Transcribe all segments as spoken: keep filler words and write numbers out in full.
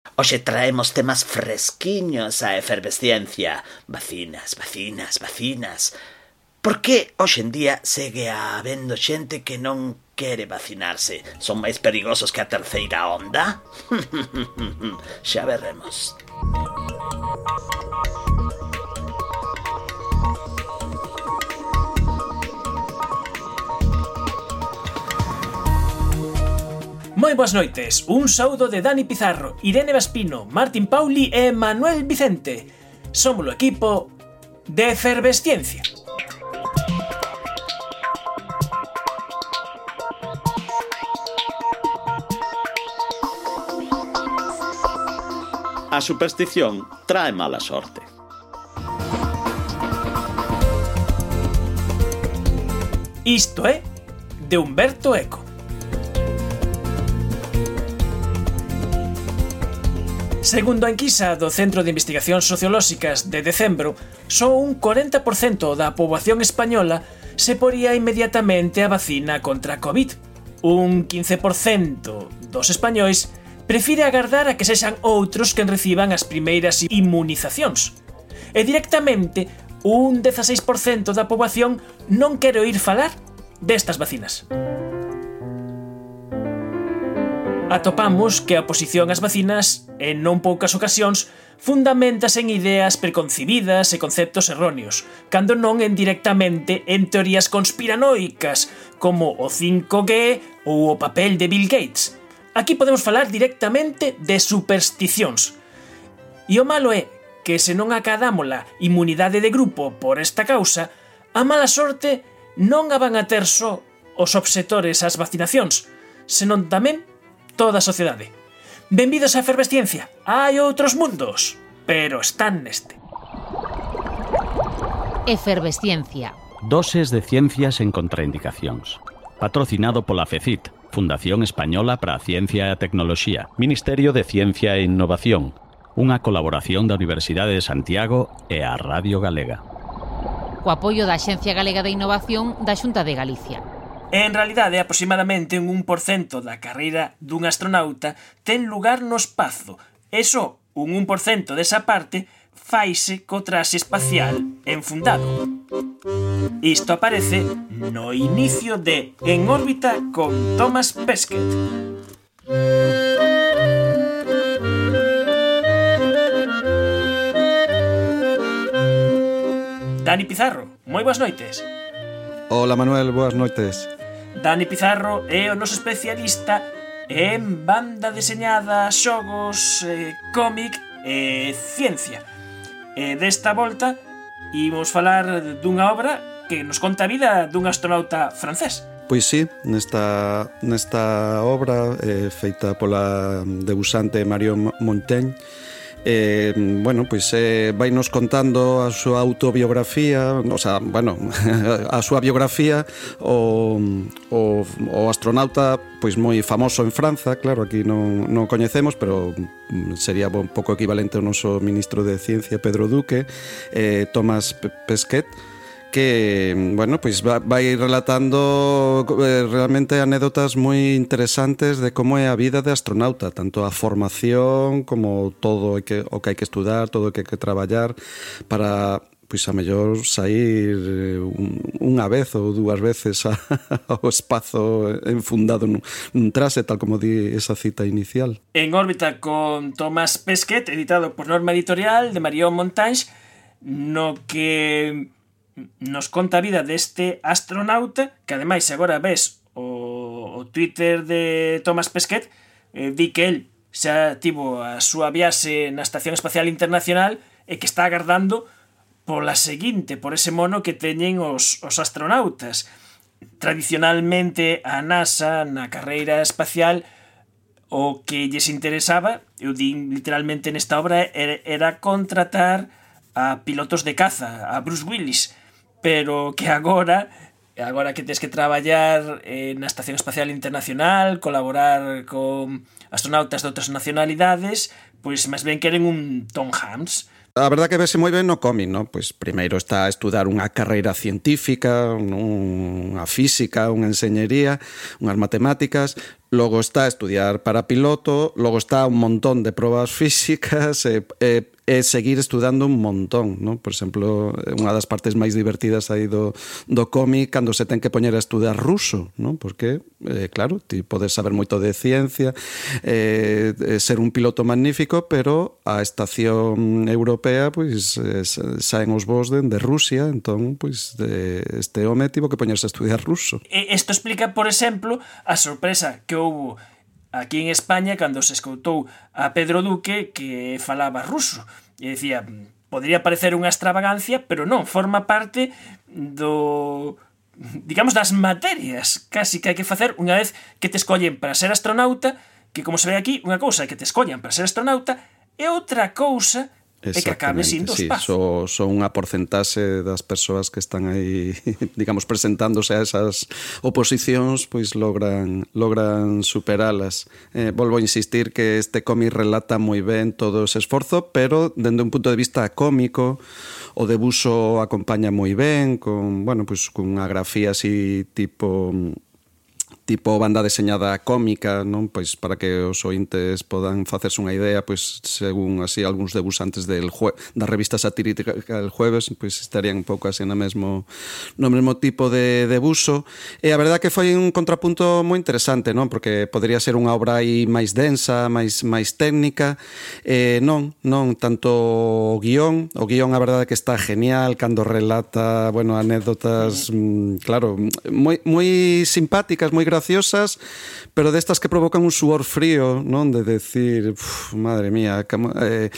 Hoxe traemos temas fresquiños á efervesciencia. Vacinas, vacinas, vacinas. Por que hoxe en día segue habendo xente que non quere vacinarse? Son máis perigosos que a terceira onda? Xa veremos. Moi boas noites, un saúdo de Dani Pizarro, Irene Vaspino, Martín Pauli e Manuel Vicente. Somos o equipo de Efervesciencia. A superstición trae mala sorte. Isto é de Humberto Eco. Segundo a enquisa do Centro de Investigacións Sociolóxicas de decembro, só un corenta por cento da poboación española se poría inmediatamente a vacina contra a COVID. Un quince por cento dos españois prefire agardar a que sexan outros quen reciban as primeiras inmunizacións. E directamente, un dezaseis por cento da poboación non quere oír falar destas vacinas. Atopamos que a oposición ás vacinas, en non poucas ocasións, fundamentase en ideas preconcibidas e conceptos erróneos, cando non en directamente en teorías conspiranoicas, como o cinco G ou o papel de Bill Gates. Aquí podemos falar directamente de supersticións. E o malo é que se non acadamos a inmunidade de grupo por esta causa, a mala sorte non a van a ter só os obsetores ás vacinacións, senón tamén toda a sociedade. Benvidos á Efervesciencia. Hai outros mundos, pero están neste. Efervesciencia. Doses de ciencias en contraindicacións. Patrocinado pola FECIT, Fundación Española para a Ciencia e a Tecnoloxía, Ministerio de Ciencia e Innovación, unha colaboración da Universidade de Santiago e a Radio Galega. Co apoio da Axencia Galega de Innovación da Xunta de Galicia. En realidade, aproximadamente un un por cento da carreira dun astronauta ten lugar no espazo, e só un un por cento desa parte faise co traxe espacial enfundado. Isto aparece no inicio de En órbita con Thomas Pesquet. Dani Pizarro, moi boas noites. Hola Manuel, boas noites. Dani Pizarro é o noso especialista en banda deseñada, xogos, eh, cómic e ciencia. E desta volta imos falar dunha obra que nos conta a vida dun astronauta francés. Pois sí, nesta, nesta obra eh, feita pola debusante Marion Montaigne, Eh, bueno, pois eh, vai nos contando a súa autobiografía, o sea, bueno, a súa biografía o, o, o astronauta pois moi famoso en França, claro, aquí non, non coñecemos, pero sería un pouco equivalente ao noso ministro de Ciencia, Pedro Duque, eh, Thomas Pesquet, que, bueno, pois vai relatando eh, realmente anécdotas moi interesantes de como é a vida de astronauta, tanto a formación como todo o que, o que hai que estudar, todo o que hai que traballar para, pois a mellor sair unha vez ou dúas veces a, ao espazo enfundado nun, nun traxe, tal como di esa cita inicial. En órbita con Thomas Pesquet, editado por Norma Editorial de Marion Montaigne, no que nos conta a vida deste astronauta, que ademais agora ves o, o Twitter de Thomas Pesquet, eh, di que el xa tivo a súa viaxe na Estación Espacial Internacional e que está agardando pola seguinte, por ese mono que teñen os, os astronautas. Tradicionalmente a NASA na carreira espacial o que lles interesaba, eu din literalmente nesta obra, era, era contratar a pilotos de caza, a Bruce Willis, pero que agora, agora que tens que traballar eh, na Estación Espacial Internacional, colaborar con astronautas de outras nacionalidades, pois máis ben queren un Tom Hanks. A verdad que vese moi ben no cómic, ¿no? Pois primeiro está a estudar unha carreira científica, unha física, unha enseñería, unhas matemáticas, logo está a estudiar para piloto, logo está un montón de probas físicas e, e, e seguir estudando un montón, ¿no? Por exemplo, unha das partes máis divertidas aí do, do cómic cando se ten que poñer a estudar ruso, ¿no? Porque, eh, claro, ti podes saber moito de ciencia, eh, ser un piloto magnífico, pero a estación europea, pois, eh, saen os voos de, de Rusia, entón, pois, de, este home tivo que poñerse a estudiar ruso. Isto explica, por exemplo, a sorpresa que houbo aquí en España cando se escoitou a Pedro Duque que falaba ruso e decía, podría parecer unha extravagancia, pero non, forma parte do, digamos, das materias casi que hai que facer unha vez que te escollen para ser astronauta, que como se ve aquí, unha cousa é que te escollan para ser astronauta e outra cousa é que acabe sindo sí, espazo. Son so unha porcentaxe das persoas que están aí, digamos, presentándose a esas oposicións, pois logran logran superalas. Eh, volvo a insistir que este cómic relata moi ben todo ese esforzo, pero dende un punto de vista cómico, o debuxo acompaña moi ben, con, bueno, pois con unha grafía así tipo tipo banda deseñada cómica, non? Pois para que os ointes podan facerse unha idea, pois según así algúns debuxantes del jue- da revista satírica El Jueves, pois estarían un pouco así no mesmo no mesmo tipo de debuxo. E a verdade que foi un contrapunto moi interesante, non? Porque podría ser unha obra aí máis densa, máis máis técnica. Eh, non, non tanto o guión, o guión a verdade que está genial cando relata, bueno, anécdotas, mm, claro, moi moi simpáticas, moi graciosas, pero destas que provocan un suor frío, non? De decir, uf, madre mía, como, eh,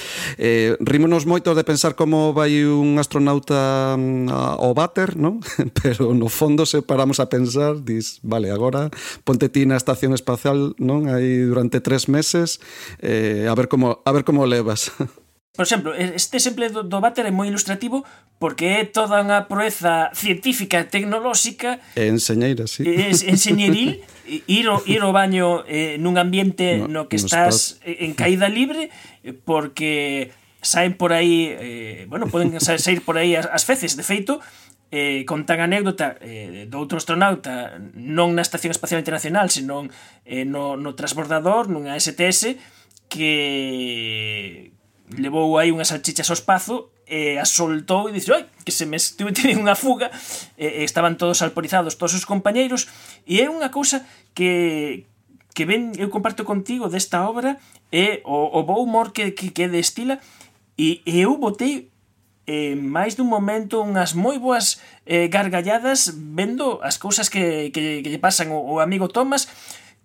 eh, rímonos moito de pensar como vai un astronauta ao váter, non? Pero no fondo se paramos a pensar, dis, vale, agora ponte ti na estación espacial, non? Aí durante tres meses, eh, a ver como a ver como levas. Por exemplo, este exemplo do, do váter é moi ilustrativo porque é toda unha proeza científica e tecnolóxica e enseñeira, sí. É enseñeril, ir ao, ir ao baño eh, nun ambiente no, no que no estás espacio. En caída libre, porque saen por aí, eh, bueno, poden sair por aí as, as feces, de feito, eh, contan a anécdota eh, do outro astronauta non na Estación Espacial Internacional, senón eh, no, no transbordador, nunha S T S, que levou aí unhas salchichas ao espazo e as soltou e dixe, oi, que se me estuve tendo unha fuga, e, e estaban todos alporizados, todos os compañeiros, e é unha cousa que que ben eu comparto contigo desta obra é o, o bo humor que, que, que destila, e, e eu botei eh, máis dun momento unhas moi boas eh, gargalladas vendo as cousas que, que, que lle pasan o, o amigo Thomas,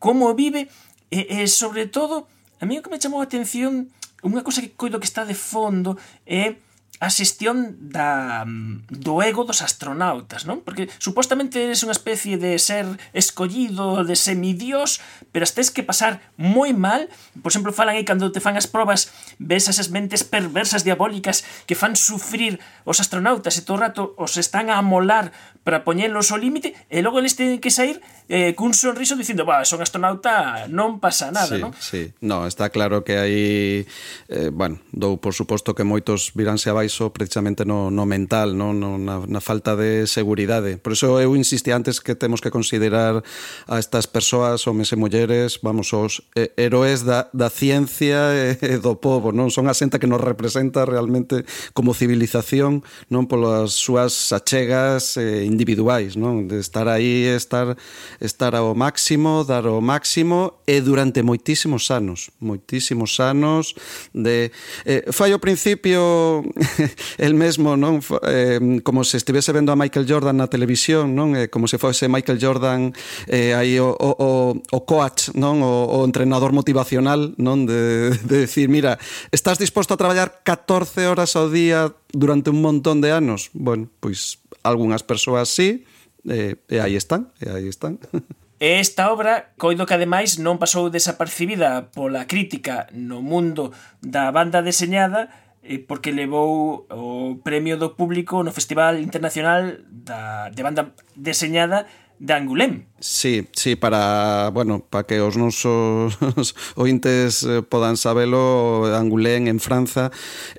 como vive, e, e sobre todo a mí o que me chamou a atención, unha cousa que coido que está de fondo é a xestión da, do ego dos astronautas, non? Porque supostamente eres unha especie de ser escollido, de semidios, pero as tes que pasar moi mal. Por exemplo, falan aí cando te fan as probas, ves esas mentes perversas diabólicas que fan sufrir os astronautas e todo o rato os están a amolar para poñelos ao límite, e logo eles teñen que sair eh, cun sonriso dicindo, bah, son astronauta, non pasa nada, sí, non? Sí, no, está claro que aí, eh, bueno, dou por suposto que moitos viránse abaixo precisamente no, no mental, no, no, na, na falta de seguridade. Por iso eu insisti antes que temos que considerar a estas persoas, homes e mulleres, vamos, os eh, heróis da, da ciencia e, e do povo, non? Son a xente que nos representa realmente como civilización, non? Polas súas achegas eh, individuais, non? De estar aí, estar estar ao máximo, dar o máximo, e durante moitísimos anos, moitísimos anos de eh, fai ao principio el mesmo, non? Eh, como se estivese vendo a Michael Jordan na televisión, non? Eh, como se fose Michael Jordan eh, aí o, o, o coach, non? O, o entrenador motivacional, non? De, de decir, mira, estás disposto a traballar catorce horas ao día durante un montón de anos? Bueno, pois algunhas persoas sí, e, e aí están, e aí están. Esta obra, coido que ademais non pasou desapercibida pola crítica no mundo da banda deseñada, porque levou o premio do público no Festival Internacional da, de Banda Deseñada de Angulén. Sí, sí, para, bueno, para que os nosos ointes podan sabelo, Angulén en Franza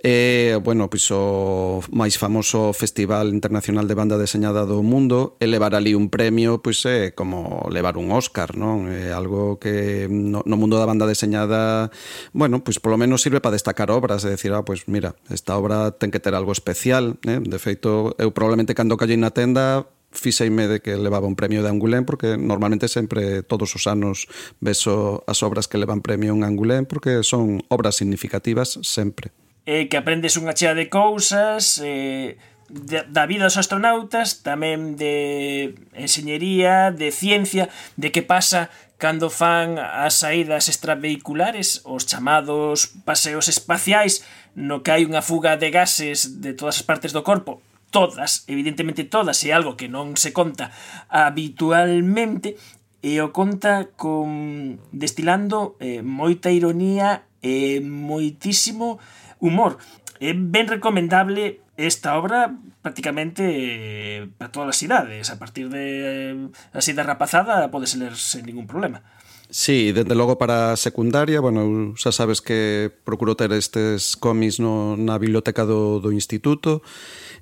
é, eh, bueno, pois o máis famoso festival internacional de banda deseñada do mundo, e levar ali un premio, pois é como levar un Óscar, non? É algo que no, no mundo da banda deseñada, bueno, pois polo menos sirve para destacar obras, é dicir, ah, pois mira, esta obra ten que ter algo especial, eh? De feito, eu probablemente cando callei na tenda fixeime de que levaba un premio de Angulén, porque normalmente sempre, todos os anos, beso as obras que levan premio en Angulén, porque son obras significativas sempre. Eh, que aprendes unha chea de cousas, eh, de, da vida dos astronautas, tamén de enxeñería, de ciencia, de que pasa cando fan as saídas extravehiculares, os chamados paseos espaciais, no que hai unha fuga de gases de todas as partes do corpo, todas, evidentemente todas, é algo que non se conta habitualmente, e o conta con destilando eh, moita ironía e moitísimo humor. É ben recomendable esta obra prácticamente eh, para todas as idades. A partir de eh, a idade rapazada podes ler sen ningún problema. Sí, desde logo para a secundaria, bueno, xa sabes que procuro ter estes cómics no, na biblioteca do, do instituto.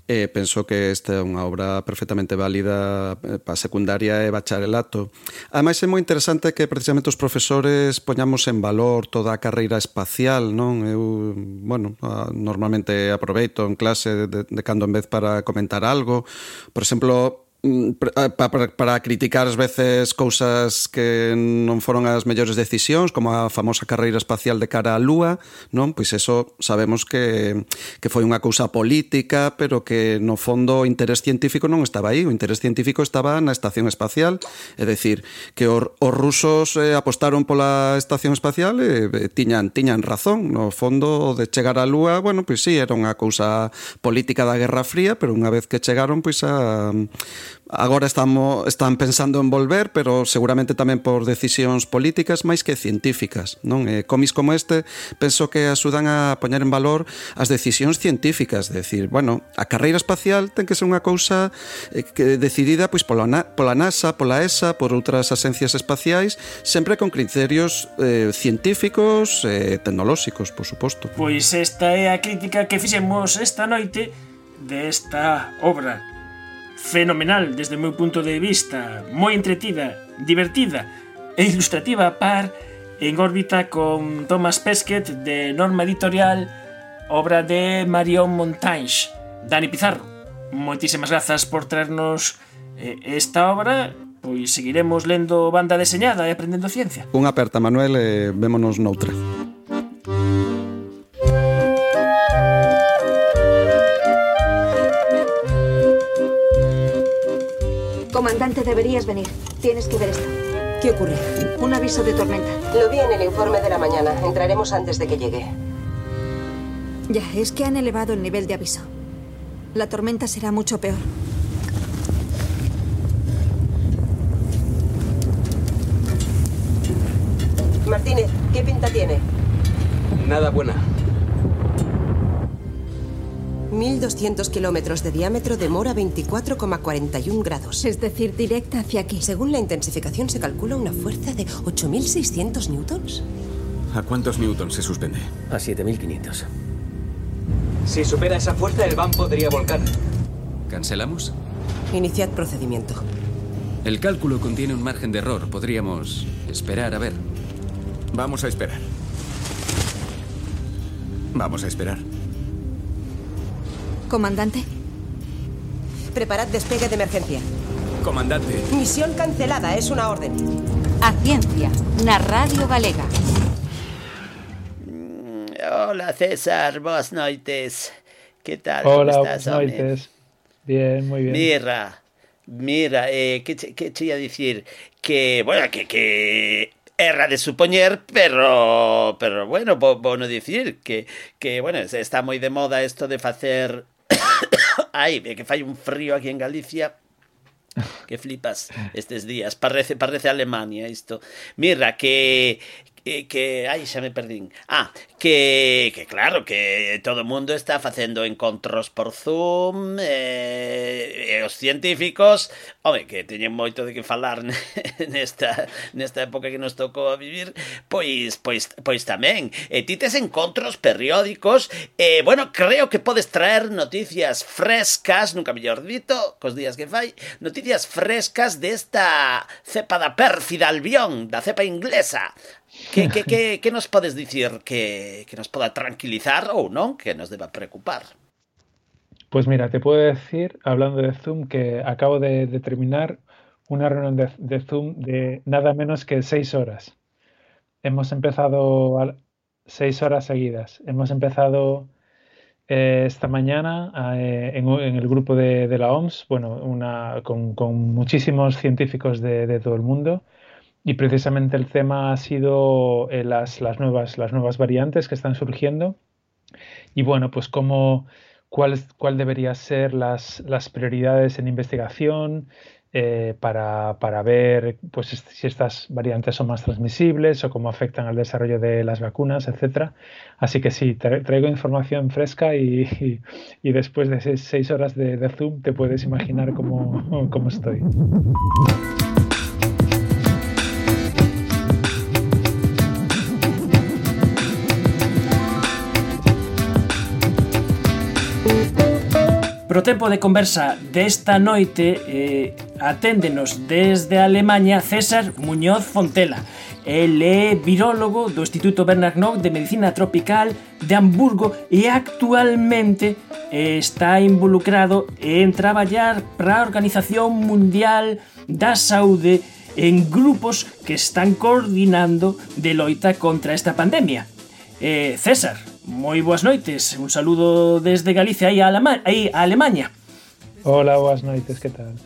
E penso que esta é unha obra perfectamente válida para secundaria e bacharelato. Ademais, é moi interesante que precisamente os profesores poñamos en valor toda a carreira espacial, non? Eu, bueno, normalmente aproveito en clase de, de cando en vez para comentar algo. Por exemplo, para, para criticar ás veces cousas que non foron as mellores decisións, como a famosa carreira espacial de cara á Lúa, non? Pois eso sabemos que, que foi unha cousa política, pero que no fondo o interés científico non estaba aí. O interés científico estaba na estación espacial, é dicir, que os, os rusos eh, apostaron pola estación espacial e eh, tiñan, tiñan razón. No fondo, de chegar á Lúa, bueno, pois sí, era unha cousa política da Guerra Fría, pero unha vez que chegaron, pois a... Agora estamos, están pensando en volver, pero seguramente tamén por decisións políticas máis que científicas, non? E cómics como este penso que axudan a poñer en valor as decisións científicas, de decir, bueno, a carreira espacial ten que ser unha cousa que decidida pois pola, pola NASA, pola E S A, por outras agencias espaciais, sempre con criterios eh, científicos e eh, tecnolóxicos, por suposto. Pois esta é a crítica que fixemos esta noite desta obra fenomenal desde o meu punto de vista, moi entretida, divertida e ilustrativa a par, en órbita con Thomas Pesquet de Norma Editorial, obra de Marion Montaigne. Dani Pizarro, moitísimas grazas por traernos eh, esta obra, pois seguiremos lendo banda deseñada e aprendendo ciencia. Unha aperta, Manuel, e vémonos noutra. Comandante, deberías venir. Tienes que ver esto. ¿Qué ocurre? Un aviso de tormenta. Lo vi en el informe de la mañana. Entraremos antes de que llegue. Ya, es que han elevado el nivel de aviso. La tormenta será mucho peor. Martínez, ¿qué pinta tiene? Nada buena. mil doscientos kilómetros de diámetro, demora veinticuatro coma cuarenta y uno grados. Es decir, directa hacia aquí. Según la intensificación se calcula una fuerza de ocho mil seiscientos newtons. ¿A cuántos newtons se suspende? A siete mil quinientos. Si supera esa fuerza, el van podría volcar. ¿Cancelamos? Iniciad procedimiento. El cálculo contiene un margen de error. Podríamos esperar a ver. Vamos a esperar. Vamos a esperar. Comandante. Preparad despegue de emergencia. Comandante. Misión cancelada, es una orden. A ciencia, na Radio Galega. Hola, César, boas noites. Que tal? Hola, Como estás, boas noites. Bien, moi bien. Mira, mira, eh, que, che, que che ia dicir que, bueno, que, que erra de supoñer, pero, pero bueno, vou, vou no dicir que, que, bueno, está moi de moda isto de facer... Ai, que fai un frío aquí en Galicia que flipas estes días, parece, parece Alemania isto. Mira, que E que, ai, xa me perdín. Ah, que, que claro, que todo o mundo está facendo encontros por Zoom, e, e os científicos, home, que teñen moito de que falar nesta, nesta época que nos tocou a vivir, pois, pois, pois tamén. E ti tes encontros periódicos, e, bueno, creo que podes traer noticias frescas, nunca mellor dito, cos días que fai, noticias frescas desta cepa da pérfida albión, da cepa inglesa. Que, que, que, que nos podes dicir que, que nos poda tranquilizar ou non, que nos deba preocupar? Pues mira, te puedo decir, hablando de Zoom, que acabo de, de terminar una reunión de, de Zoom de nada menos que seis horas. Hemos empezado a, seis horas seguidas. Hemos empezado eh, esta mañana eh, en, en el grupo de, de la O M S, bueno, una, con, con muchísimos científicos de, de todo el mundo. Y precisamente el tema ha sido eh, las, las, nuevas, las nuevas variantes que están surgiendo y bueno, pues cómo, cuál, cuál deberían ser las, las prioridades en investigación eh, para, para ver pues, si estas variantes son más transmisibles o cómo afectan al desarrollo de las vacunas, etcétera. Así que sí, tra traigo información fresca y, y, y después de seis, seis horas de, de Zoom te puedes imaginar cómo, cómo estoy. Pro tempo de conversa desta noite eh, aténdenos desde Alemanha César Muñoz Fontela. El é virólogo do Instituto Bernard Nock de Medicina Tropical de Hamburgo e actualmente eh, está involucrado en traballar para a Organización Mundial da Saúde en grupos que están coordinando de loita contra esta pandemia. Eh, César, moi boas noites, un saludo desde Galicia aí a, Alema aí a Alemanha. Hola, boas noites, que tal?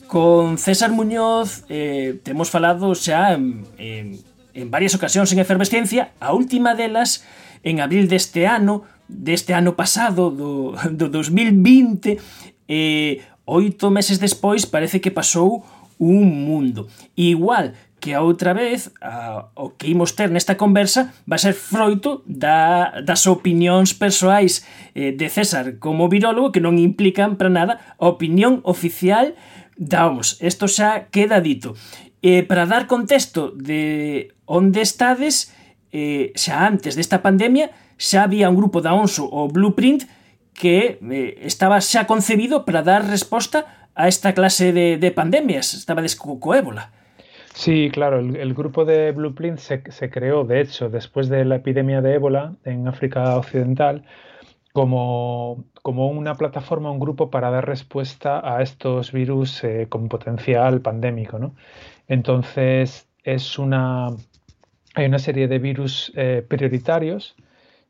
Con César Muñoz eh, temos falado xa en, en, en varias ocasións en Efervesciencia, a última delas en abril deste ano, deste ano pasado, do, do dos mil vinte, e eh, oito meses despois parece que pasou un mundo. Igual que a outra vez a, o que imos ter nesta conversa vai ser froito da, das opinións persoais eh, de César como virólogo que non implican para nada a opinión oficial da O M S. Isto xa queda dito. Eh, para dar contexto de onde estades, eh, xa antes desta pandemia xa había un grupo da O M S, o Blueprint, que eh, estaba xa concebido para dar resposta a esta clase de, de pandemias. Estaba co, co ébola. Sí, claro, el, el grupo de Blueprint se, se creó, de hecho, después de la epidemia de ébola en África Occidental, como, como una plataforma, un grupo para dar respuesta a estos virus eh, con potencial pandémico, ¿no? Entonces, es una, hay una serie de virus eh, prioritarios.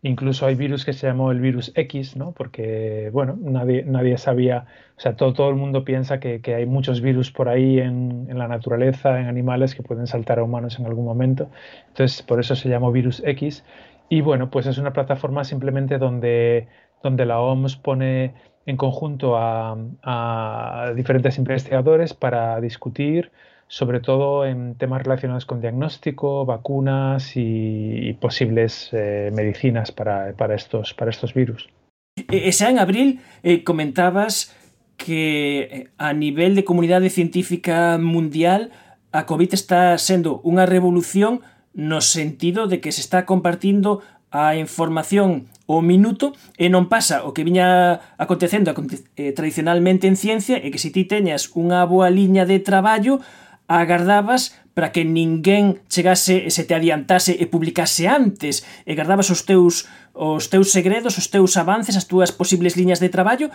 Incluso hay virus que se llamó el virus X, ¿no? Porque, bueno, nadie, nadie sabía, o sea, todo, todo el mundo piensa que, que hay muchos virus por ahí en, en la naturaleza, en animales que pueden saltar a humanos en algún momento. Entonces, por eso se llamó virus X. Y bueno, pues es una plataforma simplemente donde, donde la O M S pone en conjunto a, a diferentes investigadores para discutir, sobre todo en temas relacionados con diagnóstico, vacunas y, y posibles eh, medicinas para, para, estos, para estos virus. E xa en abril eh, comentabas que a nivel de comunidade científica mundial a COVID está sendo unha revolución no sentido de que se está compartindo a información ao minuto e non pasa o que viña acontecendo eh, tradicionalmente en ciencia e que se ti teñas unha boa liña de traballo agardabas para que ninguén chegase e se te adiantase e publicase antes e gardabas os teus, os teus segredos, os teus avances, as túas posibles liñas de traballo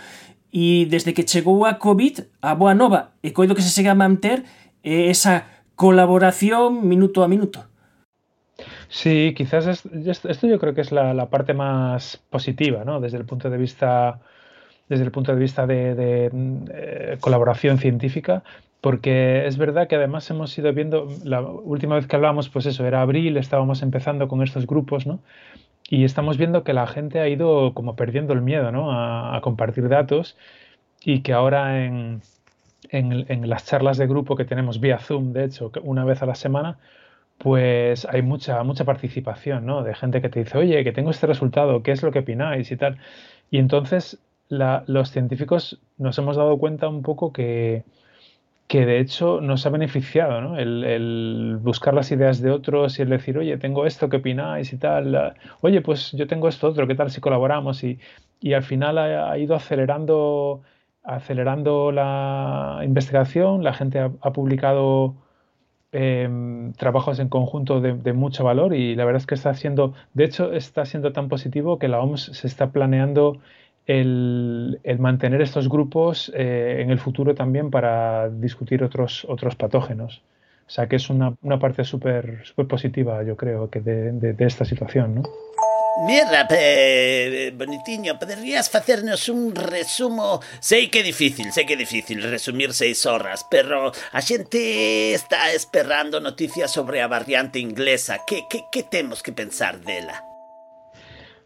e desde que chegou a COVID a boa nova e coido que se segue a manter é esa colaboración minuto a minuto. Sí, quizás es, esto yo creo que es la, la parte más positiva, ¿no? Desde el punto de vista, desde el punto de, vista de, de eh, colaboración científica. Porque es verdad que además hemos ido viendo, la última vez que hablábamos, pues eso, era abril, estábamos empezando con estos grupos, ¿no? Y estamos viendo que la gente ha ido como perdiendo el miedo, ¿no? A, a compartir datos y que ahora en, en, en las charlas de grupo que tenemos vía Zoom, de hecho, una vez a la semana, pues hay mucha, mucha participación, ¿no? De gente que te dice, oye, que tengo este resultado, ¿qué es lo que opináis? Y tal. Y entonces la- los científicos nos hemos dado cuenta un poco que, que de hecho nos ha beneficiado, ¿no? El, el buscar las ideas de otros y el decir, oye, tengo esto, ¿qué opináis? Y tal. ah, Oye, pues yo tengo esto otro, ¿qué tal si colaboramos? Y, y al final ha, ha ido acelerando, acelerando la investigación, la gente ha, ha publicado em, trabajos en conjunto de, de mucho valor y la verdad es que está siendo, de hecho, está siendo tan positivo que la O M S se está planeando el, el mantener estos grupos eh, en el futuro también para discutir otros, otros patógenos. O sea que es una, una parte súper súper positiva, yo creo, que de, de- de esta situación, ¿no? Mira, eh, Bonitiño, poderías facernos un resumo? Sei que é difícil, sei que é difícil resumir seis horas, pero a xente está esperando noticias sobre a variante inglesa. Que, que, que temos que pensar dela?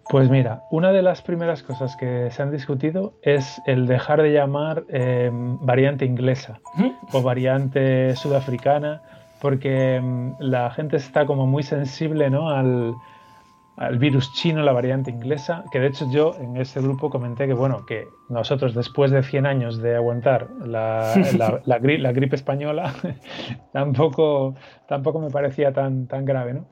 Pues mira, una de las primeras cosas que se han discutido es el dejar de llamar eh, variante inglesa o variante sudafricana, porque mm, la gente está como muy sensible, ¿no? al, al virus chino, la variante inglesa, que de hecho yo en este grupo comenté que, bueno, que nosotros después de cien años de aguantar la, la, la, gri- la gripe española, tampoco, tampoco me parecía tan, tan grave, ¿no?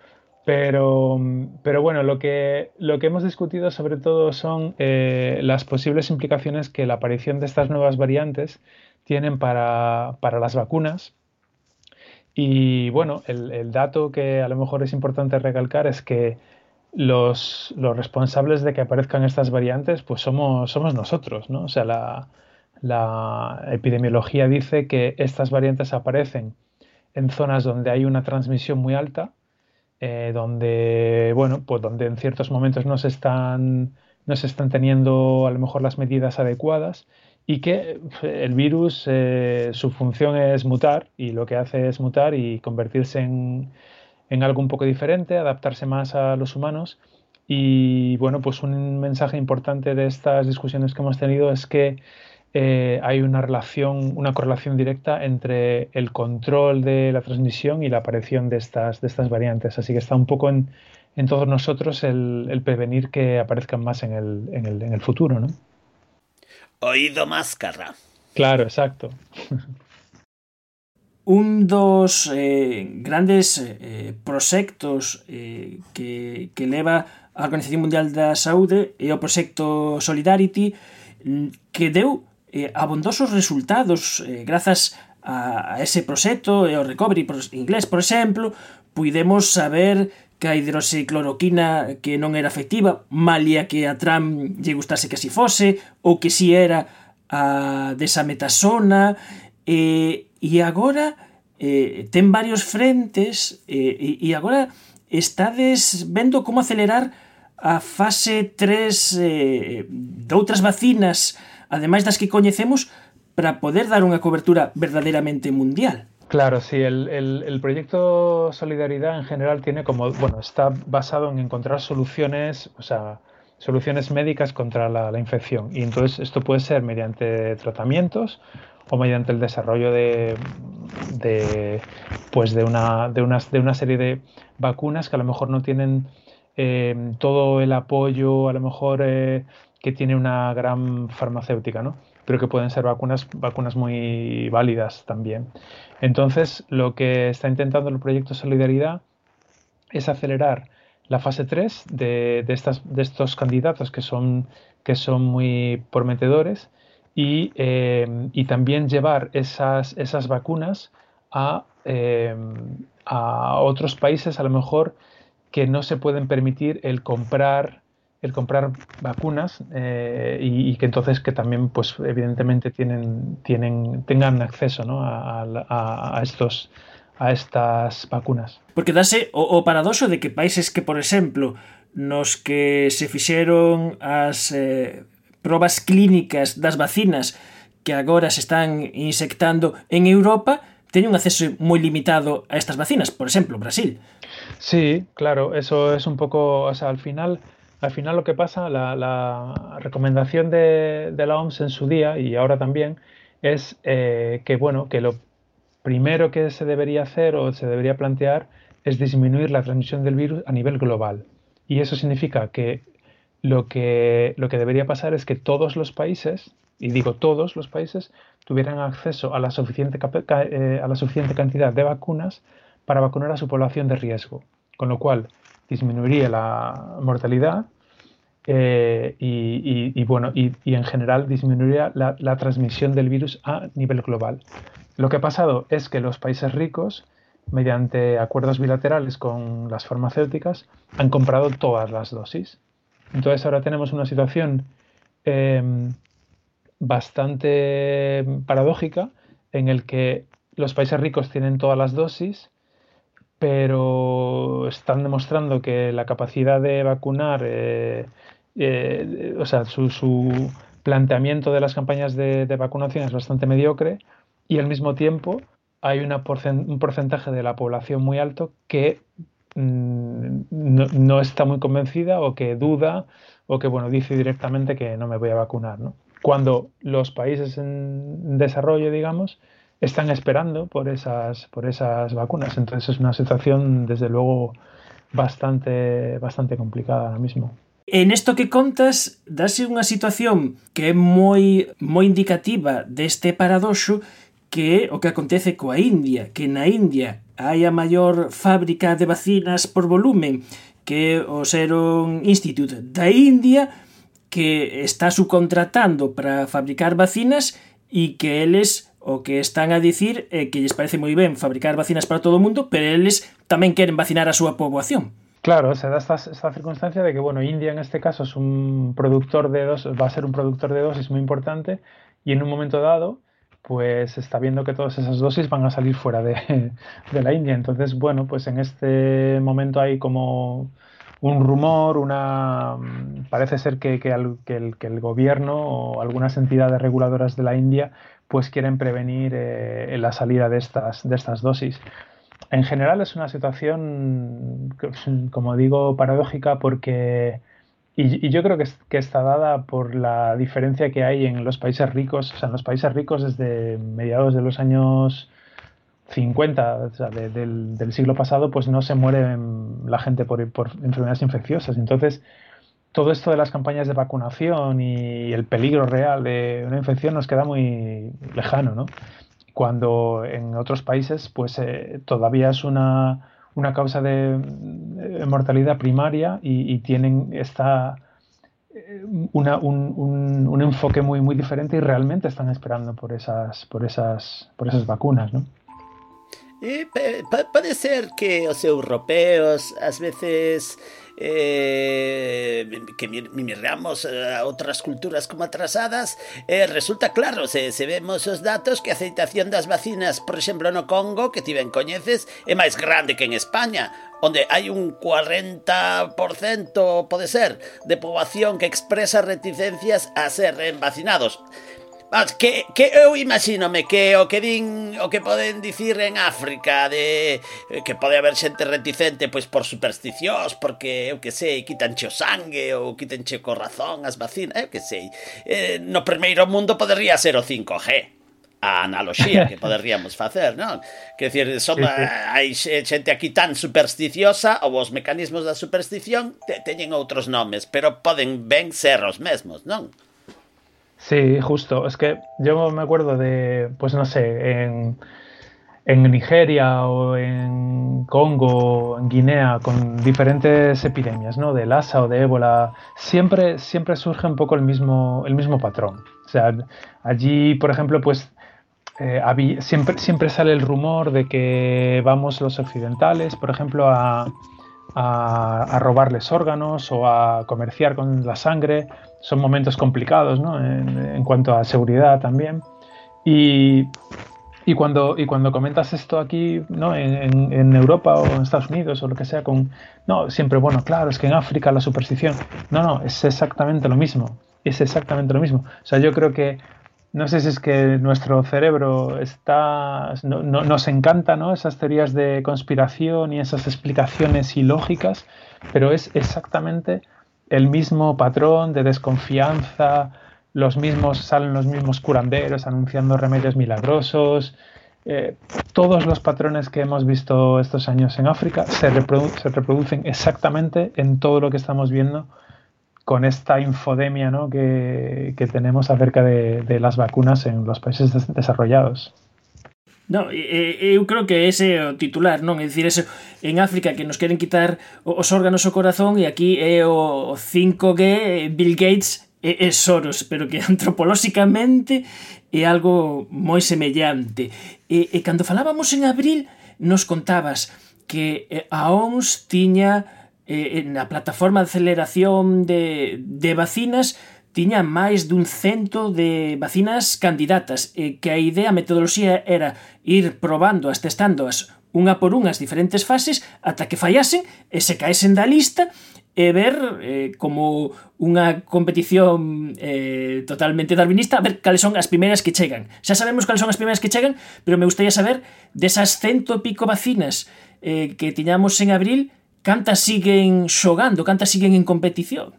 Pero, pero bueno, lo que, lo que hemos discutido sobre todo son eh, las posibles implicaciones que la aparición de estas nuevas variantes tienen para, para las vacunas. Y bueno, el, el dato que a lo mejor es importante recalcar es que los, los responsables de que aparezcan estas variantes, pues somos, somos nosotros, ¿no? O sea, la, la epidemiología dice que estas variantes aparecen en zonas donde hay una transmisión muy alta, eh, donde, bueno, pues donde en ciertos momentos no se están, no se están teniendo a lo mejor las medidas adecuadas y que eh, el virus, eh, su función es mutar y lo que hace es mutar y convertirse en, en algo un poco diferente, adaptarse más a los humanos. Y bueno, pues un mensaje importante de estas discusiones que hemos tenido es que eh, hay una relación, una correlación directa entre el control de la transmisión y la aparición de estas, de estas variantes. Así que está un poco en, en todos nosotros el, el prevenir que aparezcan más en el, en el, en el futuro, ¿no? Oído máscara. Claro, exacto. Un dos eh, grandes eh, proxectos eh, que, que leva a Organización Mundial da Saúde é o proxecto Solidarity, que deu eh, abondosos resultados eh, grazas a, a ese proxecto e ao recovery inglés, por exemplo, puidemos saber que a hidroxicloroquina que non era efectiva, malia que a Trump lle gustase que así fose, ou que si era a desametasona, e, e agora eh, ten varios frentes e, e agora estades vendo como acelerar a fase tres eh, de outras vacinas, ademais das que coñecemos, para poder dar unha cobertura verdadeiramente mundial. Claro, sí, el, el, el proyecto Solidaridad en general tiene como, bueno, está basado en encontrar soluciones, o sea, soluciones médicas contra la, la infección. Y entonces esto puede ser mediante tratamientos o mediante el desarrollo de, de, pues de, una, de, unas, de una serie de vacunas que a lo mejor no tienen eh, todo el apoyo, a lo mejor eh, que tiene una gran farmacéutica, ¿no? Pero que pueden ser vacunas, vacunas muy válidas también. Entonces, lo que está intentando el proyecto Solidaridad es acelerar la fase tres de, de, estas, de estos candidatos que son, que son muy prometedores y, eh, y también llevar esas, esas vacunas a, eh, a otros países, a lo mejor, que no se pueden permitir el comprar el comprar vacunas eh, y, y que entonces que también pues evidentemente tienen, tienen, tengan acceso, ¿no? a, a, a, estos, a estas vacunas. Porque dase o, o paradoxo de que países que, por exemplo, nos que se fixeron as eh, probas clínicas das vacinas que agora se están insectando en Europa, teñen un acceso moi limitado a estas vacinas, por exemplo, Brasil. Sí, claro, eso es un poco, o sea, al final Al final lo que pasa, la, la recomendación de, de la O M S en su día y ahora también es eh, que, bueno, que lo primero que se debería hacer o se debería plantear es disminuir la transmisión del virus a nivel global. Y eso significa que lo que, lo que debería pasar es que todos los países, y digo todos los países, tuvieran acceso a la suficiente, eh, a la suficiente cantidad de vacunas para vacunar a su población de riesgo, con lo cual disminuiría la mortalidad eh, y, y, y, bueno, y, y en general disminuiría la, la transmisión del virus a nivel global. Lo que ha pasado es que los países ricos, mediante acuerdos bilaterales con las farmacéuticas, han comprado todas las dosis. Entonces ahora tenemos una situación eh, bastante paradójica en el que los países ricos tienen todas las dosis, pero están demostrando que la capacidad de vacunar, eh, eh, o sea, su, su planteamiento de las campañas de, de vacunación es bastante mediocre, y al mismo tiempo hay una porcent- un porcentaje de la población muy alto que mmm, no, no está muy convencida o que duda o que bueno, dice directamente que no me voy a vacunar, ¿no? Cuando los países en desarrollo, digamos, están esperando por esas, por esas vacunas. Entonces es una situación, desde luego, bastante, bastante complicada ahora mismo. En esto que contas, dase unha situación que é moi, moi indicativa deste paradoxo, que é o que acontece coa India, que na India hai a maior fábrica de vacinas por volumen, que é o Serum Institute da India, que está subcontratando para fabricar vacinas e que eles o que están a dicir é que lles parece moi ben fabricar vacinas para todo o mundo, pero eles tamén queren vacinar a súa poboación. Claro, se da esta, esta circunstancia de que, bueno, India en este caso es un productor de dosis, va a ser un productor de dosis muy importante, y en un momento dado, pues está viendo que todas esas dosis van a salir fuera de, de la India. Entonces, bueno, pues en este momento hay como un rumor, una parece ser que, que, el, que, el, que el gobierno o algunas entidades reguladoras de la India pues quieren prevenir eh, la salida de estas, de estas dosis. En general es una situación, como digo, paradójica porque, y, y yo creo que, es, que está dada por la diferencia que hay en los países ricos. O sea, en los países ricos desde mediados de los años cincuenta, o sea, de, del, del siglo pasado, pues no se muere la gente por, por enfermedades infecciosas. Entonces, todo esto de las campañas de vacunación y el peligro real de una infección nos queda muy lejano, ¿no? Cuando en otros países pues eh, todavía es una, una causa de, de mortalidad primaria y, y tienen esta, una, un, un, un enfoque muy, muy diferente y realmente están esperando por esas, por esas, por esas vacunas, ¿no? E pode ser que os europeos ás veces eh, que miramos a outras culturas como atrasadas, eh, resulta claro, se, se vemos os datos, que a aceitación das vacinas, por exemplo no Congo, que ti ben coñeces, é máis grande que en España, onde hai un cuarenta por cento, pode ser, de poboación que expresa reticencias a ser vacinados. Mas que, que eu imagínome que o que din, o que poden dicir en África de que pode haber xente reticente pois por supersticións, porque eu que sei, quitanche o sangue ou quitanche o corazón as vacinas, eu que sei. Eh, no primeiro mundo podería ser o cinco G. A analoxía que poderíamos facer, non? Que decir, son, sí, sí. Hai xente aquí tan supersticiosa, ou os mecanismos da superstición te, teñen outros nomes, pero poden ben ser os mesmos, non? Sí, justo. Es que yo me acuerdo de, pues no sé, en, en Nigeria o en Congo, en Guinea, con diferentes epidemias, ¿no? De Lassa o de ébola, siempre, siempre surge un poco el mismo, el mismo patrón. O sea, allí, por ejemplo, pues eh, había, siempre, siempre sale el rumor de que vamos los occidentales, por ejemplo, a, a, a robarles órganos o a comerciar con la sangre. Son momentos complicados, ¿no? En, en cuanto a seguridad también. Y, y, cuando, y cuando comentas esto aquí, ¿no? En, en Europa o en Estados Unidos o lo que sea, con no, siempre, bueno, claro, es que en África la superstición. No, no, es exactamente lo mismo. Es exactamente lo mismo. O sea, yo creo que, no sé si es que nuestro cerebro está, no, no, nos encanta, ¿no? Esas teorías de conspiración y esas explicaciones ilógicas, pero es exactamente el mismo patrón de desconfianza, los mismos, salen los mismos curanderos anunciando remedios milagrosos, eh, todos los patrones que hemos visto estos años en África se, reprodu se reproducen exactamente en todo lo que estamos viendo con esta infodemia, ¿no?, que, que tenemos acerca de, de las vacunas en los países des desarrollados. No, eu creo que ese é o titular, non? É dicir, ese, en África que nos queren quitar os órganos ao corazón e aquí é o cinco G, Bill Gates e, e Soros, pero que antropolóxicamente é algo moi semellante. E, e cando falábamos en abril nos contabas que a O M S tiña eh, na plataforma de aceleración de, de vacinas tiña máis dun cento de vacinas candidatas e que a idea, a metodoloxía era ir probándoas, testándoas unha por unha as diferentes fases ata que fallasen e se caesen da lista e ver eh, como unha competición eh, totalmente darwinista, a ver cales son as primeiras que chegan. Xa sabemos cales son as primeiras que chegan, pero me gustaría saber desas cento e pico vacinas eh, que tiñamos en abril, cantas siguen xogando, cantas siguen en competición.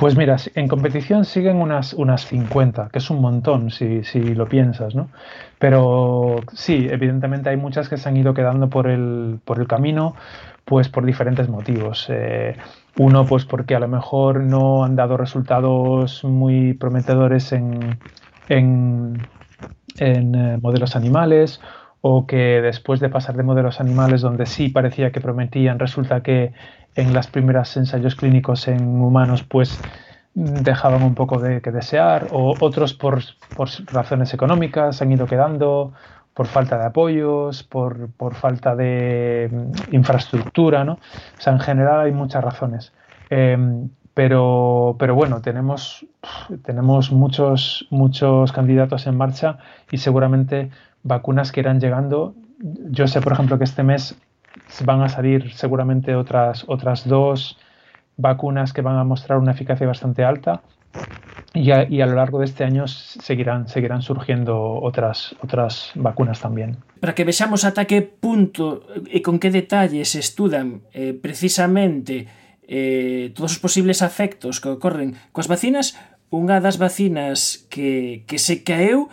Pues mira, en competición siguen unas, unas cincuenta, que es un montón si, si lo piensas, ¿no? Pero sí, evidentemente hay muchas que se han ido quedando por el, por el camino, pues por diferentes motivos. Eh, uno, pues porque a lo mejor no han dado resultados muy prometedores en, en, en eh, modelos animales, o que después de pasar de modelos animales donde sí parecía que prometían, resulta que en las primeras ensayos clínicos en humanos pues dejaban un poco de que desear, o otros por, por razones económicas han ido quedando, por falta de apoyos, por, por falta de infraestructura, ¿no? O sea, en general hay muchas razones. Eh, pero, pero bueno, tenemos, tenemos muchos, muchos candidatos en marcha y seguramente vacunas que irán llegando. Yo sé, por ejemplo, que este mes van a salir seguramente otras, otras dos vacunas que van a mostrar una eficacia bastante alta y a, y a lo largo de este año seguirán, seguirán surgiendo otras, otras vacunas también. Para que vexamos ata que punto e con que detalles se estudan eh, precisamente eh, todos os posibles efectos que ocorren coas vacinas, unha das vacinas que, que se caeu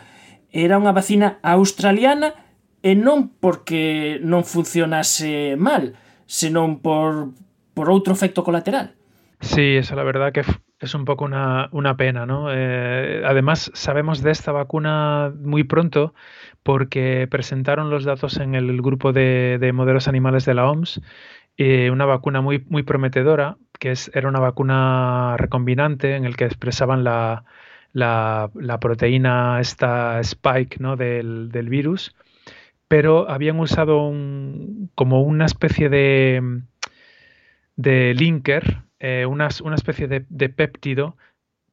era unha vacina australiana e non porque non funcionase mal, senón por, por outro efecto colateral. Sí, eso la verdad que es un poco una, una pena, ¿no? Eh, además, sabemos de esta vacuna muy pronto porque presentaron los datos en el grupo de, de modelos animales de la O M S, eh, una vacuna muy, muy prometedora, que es, era una vacuna recombinante en el que expresaban la... La, la proteína esta spike, ¿no?, del, del virus, pero habían usado un, como una especie de, de linker, eh, una, una especie de, de péptido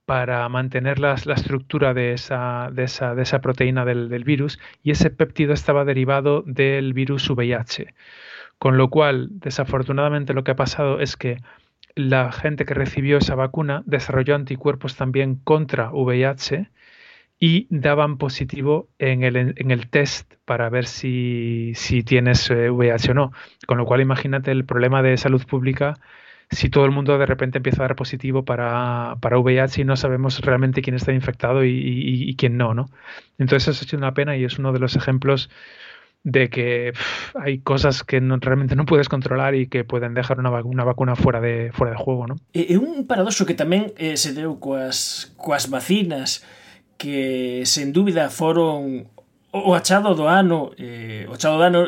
para mantener la, la estructura de esa, de esa, de esa proteína del, del virus, y ese péptido estaba derivado del virus V I H. Con lo cual, desafortunadamente, lo que ha pasado es que la gente que recibió esa vacuna desarrolló anticuerpos también contra V I H y daban positivo en el, en el test para ver si, si tienes V I H o no. Con lo cual imagínate el problema de salud pública si todo el mundo de repente empieza a dar positivo para, para V I H y no sabemos realmente quién está infectado y, y, y quién no, ¿no? Entonces eso ha sido una pena y es uno de los ejemplos de que pff, hay cosas que no, realmente non puedes controlar e que poden dejar unha vacuna, vacuna fuera de fuera de juego, non? É un paradoxo que tamén eh, se deu coas, coas vacinas que, sen dúbida, foron o achado do ano, eh, o achado do ano,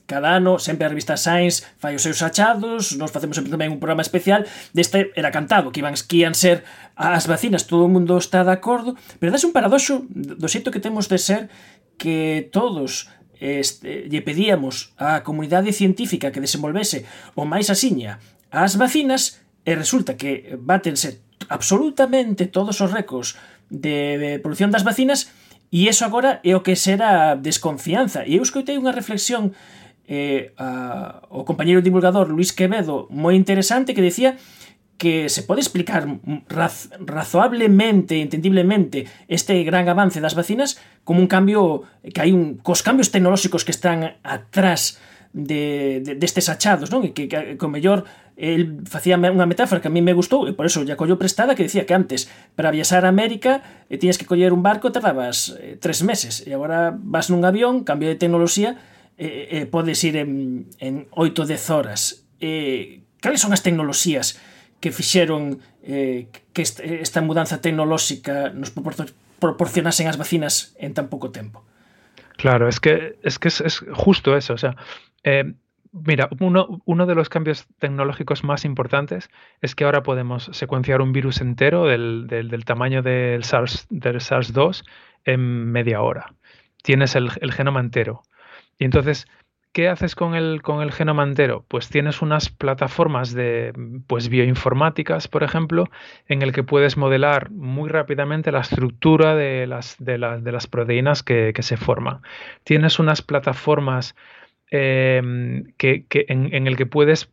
cada ano, sempre a revista Science fai os seus achados, nós facemos sempre tamén un programa especial, deste era cantado, que iban, que ian ser as vacinas, todo o mundo está de acordo, pero dase un paradoxo do xeito que temos de ser que todos Este, lle pedíamos á comunidade científica que desenvolvese o máis asiña as vacinas e resulta que bátense absolutamente todos os récords de produción das vacinas e iso agora é o que será desconfianza. E eu escoitei unha reflexión eh, a, o compañeiro divulgador Luis Quevedo moi interesante que decía que se pode explicar raz, razoablemente, entendiblemente, este gran avance das vacinas como un cambio, que hai un, cos cambios tecnolóxicos que están atrás de, de, destes achados, non? E que, que, que o mellor el facía unha metáfora que a mí me gustou e por eso lla collo prestada, que decía que antes para viaxar a América e tiñas que coller un barco tardabas eh, tres meses e agora vas nun avión, cambio de tecnoloxía e, e podes ir en, en oito dez horas. E, cales son as tecnoloxías que fixeron eh, que este, esta mudanza tecnolóxica nos proporcionasen as vacinas en tan pouco tempo? Claro, es que es, que es, es justo eso, o sea, eh, mira, uno, uno de los cambios tecnológicos más importantes es que ahora podemos secuenciar un virus entero del, del, del tamaño del SARS, del SARS dos en media hora. Tienes el, el genoma entero. Y entonces, ¿qué haces con el, con el genoma entero? Pues tienes unas plataformas de pues, bioinformáticas, por ejemplo, en el que puedes modelar muy rápidamente la estructura de las, de la, de las proteínas que, que se forman. Tienes unas plataformas Eh, que, que en, en el que puedes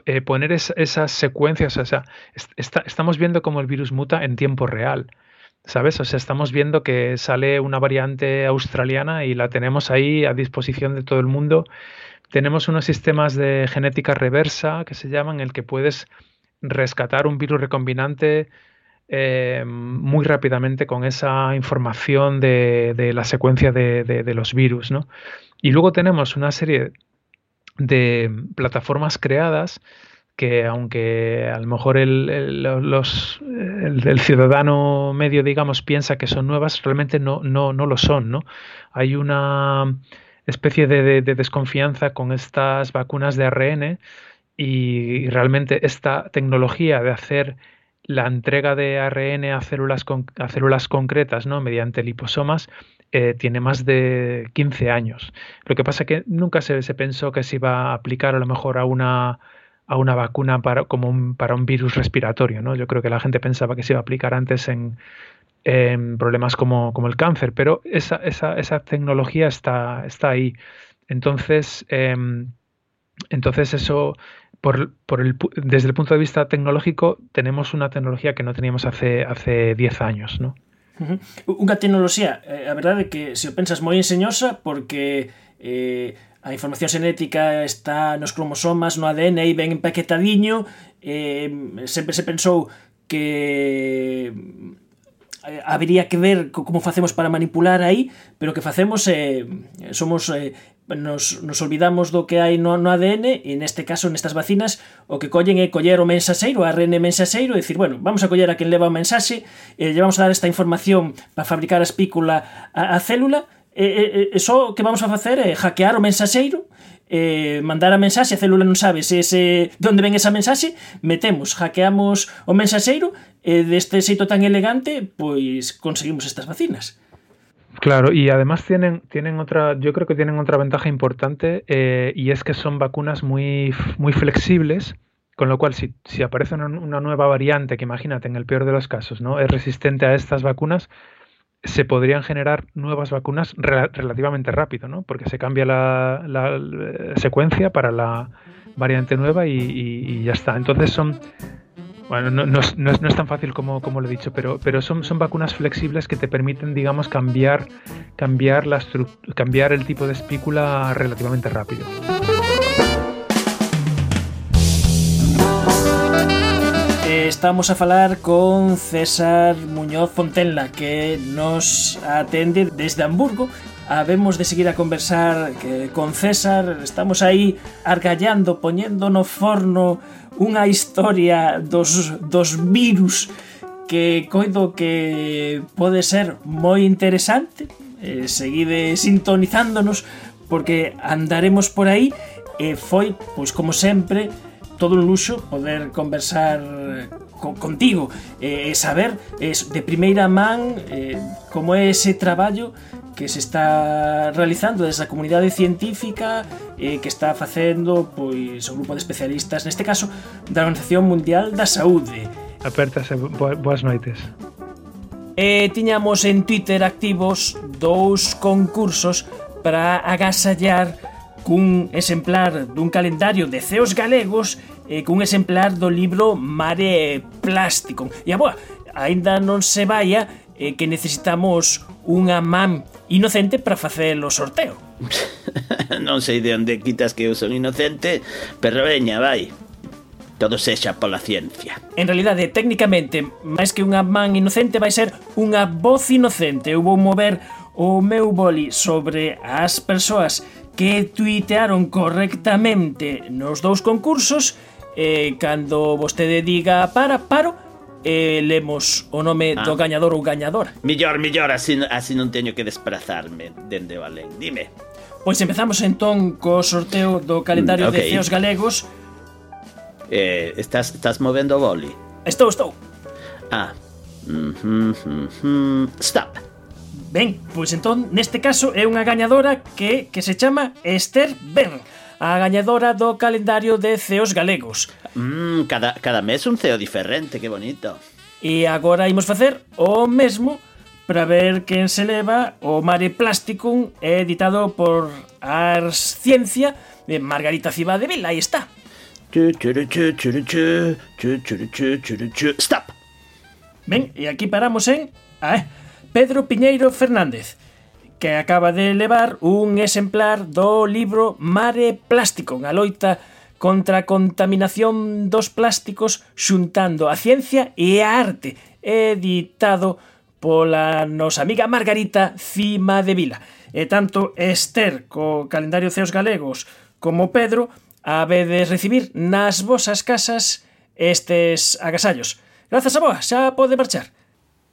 eh, poner es, esas secuencias, o sea, está, estamos viendo cómo el virus muta en tiempo real, ¿sabes? O sea, estamos viendo que sale una variante australiana y la tenemos ahí a disposición de todo el mundo. Tenemos unos sistemas de genética reversa que se llaman, en el que puedes rescatar un virus recombinante eh, muy rápidamente con esa información de, de la secuencia de, de, de los virus, ¿no? Y luego tenemos una serie de plataformas creadas que, aunque a lo mejor el, el, los, el, el ciudadano medio, digamos, piensa que son nuevas, realmente no, no, no lo son, ¿no? Hay una especie de, de, de desconfianza con estas vacunas de A R N y, y realmente esta tecnología de hacer la entrega de A R N a células, con, a células concretas, ¿no? Mediante liposomas, Eh, tiene más de quince años. Lo que pasa es que nunca se, se pensó que se iba a aplicar a lo mejor a una, a una vacuna para, como un, para un virus respiratorio, ¿no? Yo creo que la gente pensaba que se iba a aplicar antes en, en problemas como, como el cáncer, pero esa, esa, esa tecnología está, está ahí. Entonces, eh, entonces eso, por, por el, desde el punto de vista tecnológico, tenemos una tecnología que no teníamos hace, hace diez años, ¿no? Uh-huh. Unha tecnoloxía, eh, a verdade é que se o pensas moi enseñosa porque eh, a información xenética está nos cromosomas, no A D N, aí ben empaquetadiño, eh, sempre se pensou que eh, habería que ver como facemos para manipular aí, pero que facemos eh, somos eh, nos, nos olvidamos do que hai no, no A D N e neste caso, nestas vacinas, o que collen é coller o mensaxeiro, o A R N mensaxeiro e dicir, bueno, vamos a coller a quen leva o mensaxe e lle vamos a dar esta información para fabricar a espícula a, a célula e, e, e só o que vamos a facer é hackear o mensaxeiro, eh, mandar a mensaxe, a célula non sabe se ese, de onde ven esa mensaxe, metemos, hackeamos o mensaxeiro e deste xeito tan elegante pois conseguimos estas vacinas. Claro, y además tienen, tienen otra, yo creo que tienen otra ventaja importante eh, y es que son vacunas muy, muy flexibles, con lo cual si, si aparece una, una nueva variante que imagínate en el peor de los casos, ¿no? Es resistente a estas vacunas, se podrían generar nuevas vacunas rel- relativamente rápido, ¿no? Porque se cambia la, la, la secuencia para la variante nueva y, y, y ya está. Entonces son... Bueno, no, no, no, es, no es tan fácil como, como lo he dicho, pero, pero son, son vacunas flexibles que te permiten, digamos, cambiar, cambiar, la cambiar el tipo de espícula relativamente rápido. Estamos a falar con César Muñoz Fontenla, que nos atende desde Hamburgo. Habemos de seguir a conversar que, con César. Estamos aí argallando, poñendo no forno unha historia dos, dos virus que coido que pode ser moi interesante. Eh, seguide sintonizándonos porque andaremos por aí e foi, pois como sempre, todo un luxo poder conversar con, contigo e eh, saber eh, de primeira man eh, como é ese traballo que se está realizando desde a comunidade científica eh, que está facendo pois o grupo de especialistas, neste caso da Organización Mundial da Saúde. Apertase, boas noites. E tiñamos en Twitter activos dous concursos para agasallar cun exemplar dun calendario de ceos galegos e cun exemplar do libro Mare Plástico. E a boa, aínda non se vaya eh, que necesitamos unha man inocente para facer o sorteo. non sei de onde quitas que eu son inocente, pero veña, vai. Todo sexa pola ciencia. En realidade, técnicamente, máis que unha man inocente vai ser unha voz inocente. Eu vou mover o meu boli sobre as persoas que tuitearon correctamente nos dous concursos e cando vostede diga para, paro, e lemos o nome ah. do gañador ou gañadora. Millor, millor, así, así non teño que desplazarme dende o alén. Dime. Pois empezamos entón co sorteo do calendario mm, okay. de ceos galegos. Eh, estás, estás movendo o boli? Estou, estou. Ah. Mm-hmm, mm-hmm. Stop. Ben, pois entón, neste caso é unha gañadora que, que se chama Esther Ben, a gañadora do calendario de ceos galegos. Mm, cada, cada mes un ceo diferente, que bonito. E agora imos facer o mesmo para ver quen se leva o Mare Plasticum, editado por Ars Ciencia de Margarita Cibadevila. Aí está. Stop. Ben, e aquí paramos en ah, Pedro Piñeiro Fernández, que acaba de levar un exemplar do libro Mare Plasticum, a loita contra a contaminación dos plásticos xuntando a ciencia e a arte, editado pola nosa amiga Margarita Cibadevila. E tanto Esther co calendario ceos galegos como Pedro habedes recibir nas vosas casas estes agasallos. Grazas a boa, xa pode marchar.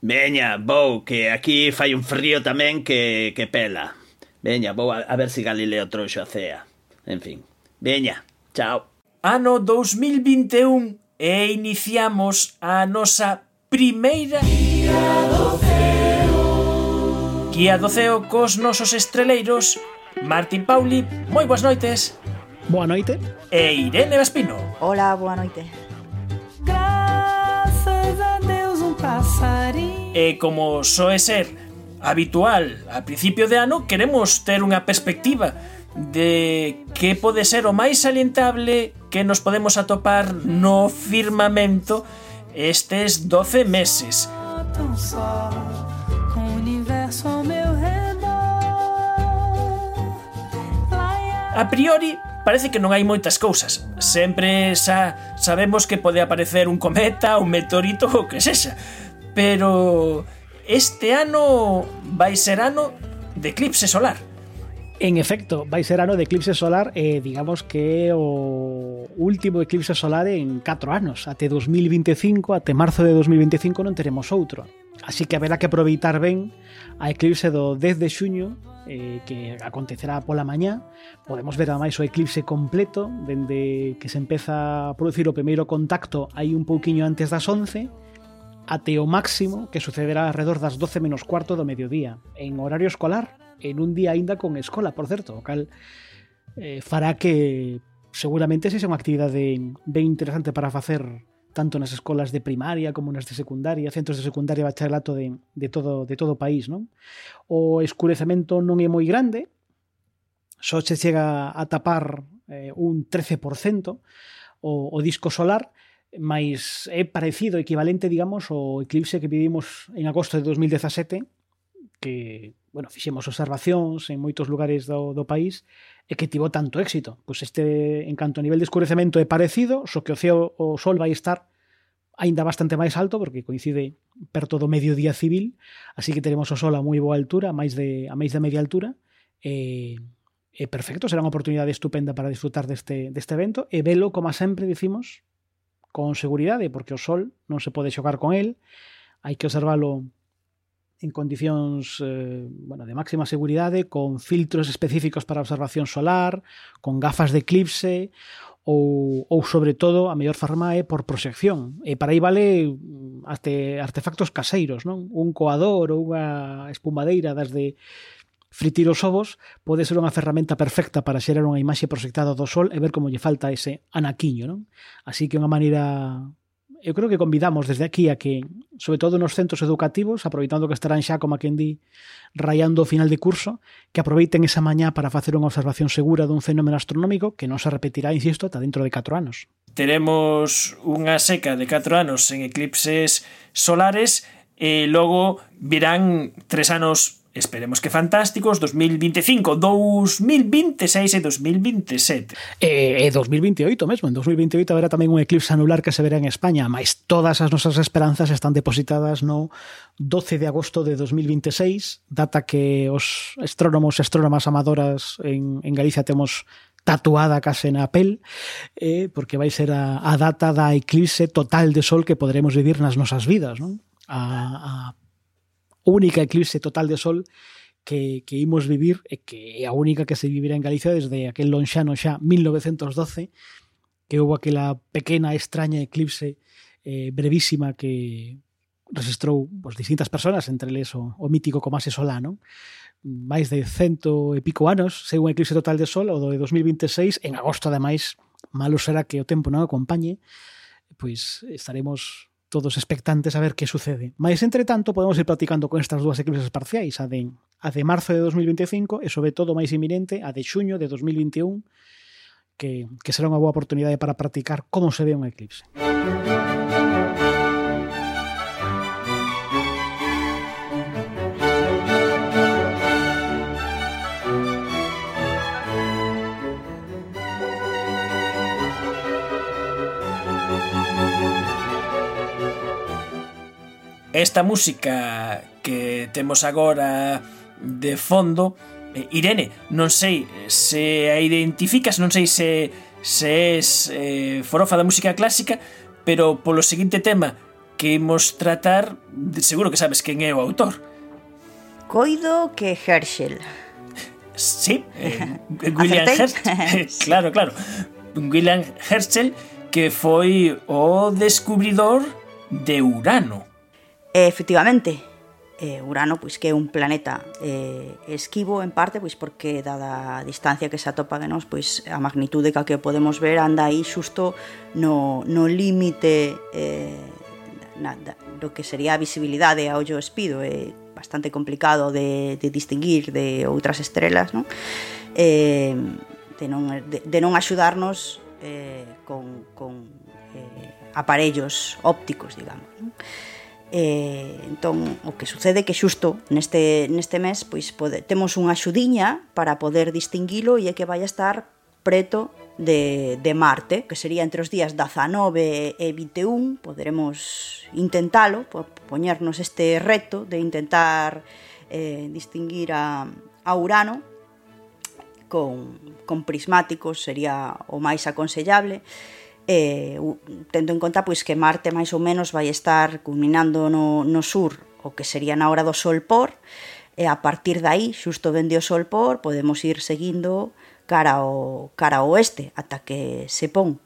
Veña, vou, que aquí fai un frío tamén que, que pela. Veña, vou a, a ver se si Galileo trouxo a cea. En fin, veña, chao. Ano dos mil vinte e un e iniciamos a nosa primeira Guía do Ceo. Guía do Ceo cos nosos estreleiros Martín Pauli, moi boas noites. Boa noite. E Irene Vespino. Hola, boa noite. Graças a Deus un pasarín. E como soe ser habitual a principio de ano, queremos ter unha perspectiva de que pode ser o máis salientable que nos podemos atopar no firmamento estes doce meses. A priori, parece que non hai moitas cousas. Sempre xa sabemos que pode aparecer un cometa, un meteorito, o que sexa. Pero este ano vai ser ano de eclipse solar. En efecto, vai ser ano de eclipse solar e eh, digamos que é o último eclipse solar en catro anos. Até dos mil vinte e cinco, até marzo de dos mil vinte e cinco non teremos outro. Así que haberá que aproveitar ben a eclipse do dez de xuño, eh, que acontecerá pola mañá. Podemos ver ademais o eclipse completo dende que se empeza a producir o primeiro contacto aí un pouquiño antes das once até o máximo, que sucederá alrededor das doce menos cuarto do mediodía en horario escolar, en un día aínda con escola, por certo, o cal eh, fará que seguramente sexa unha actividade ben interesante para facer tanto nas escolas de primaria como nas de secundaria, centros de secundaria e bacharelato de, de, todo, de todo o país, non? O escurecemento non é moi grande, só se chega a tapar eh, un trece por cento o, o disco solar, mas é parecido, equivalente, digamos, ao eclipse que vivimos en agosto de dos mil dezasete, que, bueno, fixemos observacións en moitos lugares do, do país e que tivo tanto éxito. Pois este, en canto a nivel de escurecemento, é parecido, só que o ceo, o sol vai estar aínda bastante máis alto, porque coincide perto do mediodía civil, así que teremos o sol a moi boa altura, a máis de, a máis de media altura, e, e perfecto, será unha oportunidade estupenda para disfrutar deste, deste evento, e velo, como sempre dicimos, con seguridade, porque o sol non se pode xogar con el, hai que observalo en condicións eh, bueno, de máxima seguridade, con filtros específicos para observación solar, con gafas de eclipse, ou, ou sobre todo, a mellor forma é por proxección. E para aí vale até artefactos caseiros, non? Un coador ou unha espumadeira das de fritir os ovos pode ser unha ferramenta perfecta para xerar unha imaxe proxectada do sol e ver como lle falta ese anaquiño, non? Así que unha maneira... Eu creo que convidamos desde aquí a que, sobre todo nos centros educativos, aproveitando que estarán xa, como a quen di, rayando o final de curso, que aproveiten esa mañá para facer unha observación segura dun fenómeno astronómico que non se repetirá, insisto, ata dentro de catro anos. Teremos unha seca de catro anos en eclipses solares e logo virán tres anos esperemos que fantásticos, dos mil vinte e cinco, dos mil vinte e seis e dos mil vinte e sete. E, e dos mil vinte e oito mesmo, en dos mil vinte e oito haberá tamén un eclipse anular que se verá en España, mas todas as nosas esperanzas están depositadas no doce de agosto de dos mil vinte e seis, data que os astrónomos e astrónomas amadoras en, en Galicia temos tatuada case na pel, eh, porque vai ser a, a data da eclipse total de sol que poderemos vivir nas nosas vidas, non? A, a única eclipse total de sol que, que imos vivir e que é a única que se vivirá en Galicia desde aquel lonxano xa mil novecentos doce, que houve aquela pequena extraña eclipse eh, brevísima que registrou pues, distintas personas, entre eles o, o mítico Comase Solá, non? máis de cento e pico anos, sei un eclipse total de sol, o do de dos mil vinte e seis, en agosto, ademais, malo será que o tempo non acompañe, pois estaremos todos expectantes a ver que sucede. Mas, entre tanto, podemos ir platicando con estas dúas eclipses parciais, a de, a de marzo de dos mil vinte e cinco e, sobre todo, máis inminente, a de xuño de dos mil vinte e un, que, que será unha boa oportunidade para practicar como se ve un eclipse. Esta música que temos agora de fondo, eh, Irene, non sei se a identificas, non sei se, se es eh, forofa da música clásica, pero polo seguinte tema que imos tratar, seguro que sabes quen é o autor. Coido que Herschel. Sí, eh, William Herschel. Claro, claro. William Herschel, que foi o descubridor de Urano. Efectivamente, eh, Urano pois que é un planeta eh, esquivo en parte pois porque dada a distancia que se atopa de nós, pois a magnitude que podemos ver anda aí xusto no, no límite eh, na, da, do que sería a visibilidade a ollo espido, é bastante complicado de, de distinguir de outras estrelas, non? Eh, de, non, de, de non axudarnos eh, con, con eh, aparellos ópticos, digamos, non? Eh, entón, o que sucede é que xusto neste, neste mes pois, pode, temos unha axudiña para poder distinguilo e é que vai a estar preto de, de Marte, que sería entre os días dezanove e vinte e un. Poderemos intentalo, poñernos este reto de intentar eh, distinguir a, a Urano con, con prismáticos, sería o máis aconsellable. Eh, tendo en conta pois que Marte máis ou menos vai estar culminando no, no sur, o que sería na hora do sol por, e a partir dai, xusto dende o sol por, podemos ir seguindo cara ao, cara ao oeste, ata que se pon,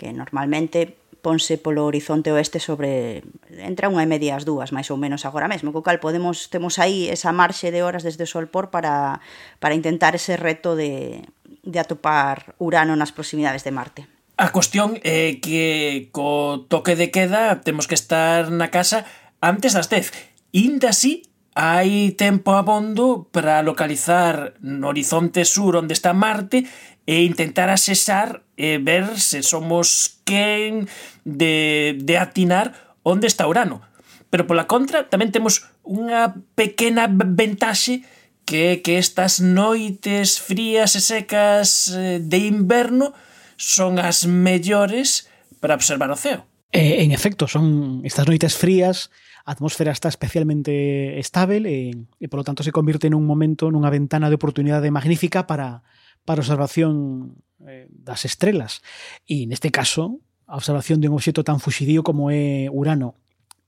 que normalmente ponse polo horizonte oeste sobre entre unha e media as dúas, máis ou menos agora mesmo, co cal podemos, temos aí esa marxe de horas desde o sol por para, para intentar ese reto de, de atopar Urano nas proximidades de Marte. A cuestión é que co toque de queda temos que estar na casa antes das dez. Inda así, hai tempo abondo para localizar no horizonte sur onde está Marte e intentar asesar e ver se somos quen de, de atinar onde está Urano. Pero pola contra tamén temos unha pequena ventaxe que que estas noites frías e secas de inverno son as mellores para observar o ceo. Eh, en efecto, son estas noites frías, a atmósfera está especialmente estável e, e polo tanto se convirte nun momento, nunha ventana de oportunidade magnífica para, para a observación eh, das estrelas. E neste caso, a observación de un obxecto tan fuxidío como é Urano.